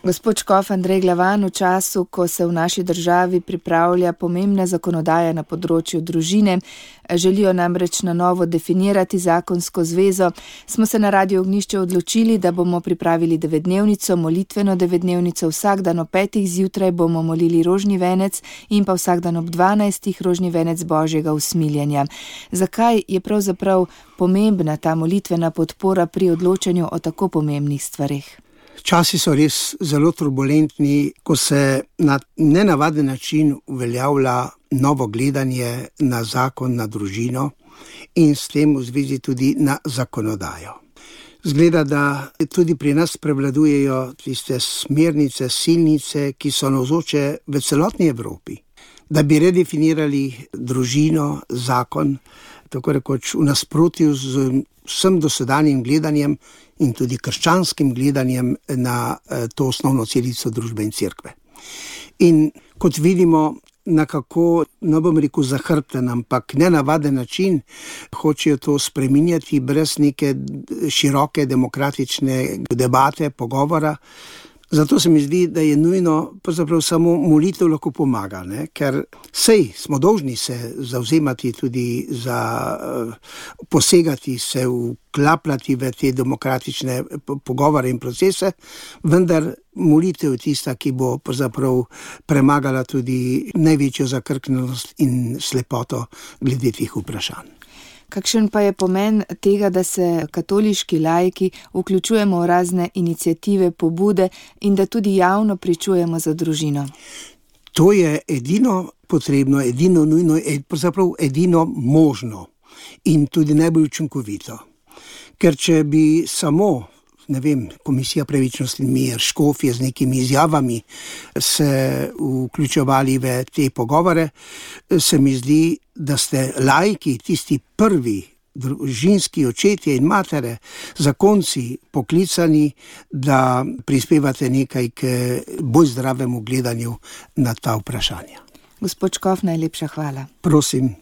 Gospod škof Andrej Glavan, v času, ko se v naši državi pripravlja pomembna zakonodaja na področju družine, želijo namreč na novo definirati zakonsko zvezo, smo se na Radiu Ognjišče odločili, da bomo pripravili 9-dnevnico, molitveno 9-dnevnico. Vsak dan ob 5. zjutraj bomo molili rožni venec in pa vsak dan ob 12. rožni venec Božjega usmiljenja. Zakaj je pravzaprav pomembna ta molitvena podpora pri odločanju o tako pomembnih stvareh? Časi so res zelo turbulentni, ko se na nenavaden način uveljavlja novo gledanje na zakon, na družino in s tem v zvezi tudi na zakonodajo. Zgleda, da tudi pri nas prevladujejo tiste smernice, silnice, ki so navzoče v celotni Evropi, da bi redefinirali družino, zakon, tako rekoč v nasprotju z vsem dosedanjim gledanjem in tudi krščanskim gledanjem na to osnovno celico družbe in cerkve. In kot vidimo, nekako, ne bom rekel zahrbten, ampak nenavaden način hočejo to spreminjati brez neke široke demokratične debate, pogovora. Zato se mi zdi, da je nujno, pravzaprav samo molitev lahko pomaga, ker smo dolžni se zavzemati tudi za posegati, se vklapljati v te demokratične pogovore in procese, vendar molitev je tista, ki bo pravzaprav premagala tudi največjo zakrknjenost in slepoto glede teh vprašanj. Kakšen pa je pomen tega, da se katoliški laiki vključujemo v razne iniciative, pobude in da tudi javno pričujemo za družino? To je edino potrebno, edino nujno, pravzaprav edino možno in tudi najbolj učinkovito. Ker če bi samo, Komisija Pravičnost in mir, škofje z nekimi izjavami se vključevali v te pogovore, se mi zdi, da ste laiki, tisti prvi družinski očetje in matere, zakonci poklicani, da prispevate nekaj k bolj zdravemu gledanju na ta vprašanja. Gospod škof, najlepša hvala. Prosim.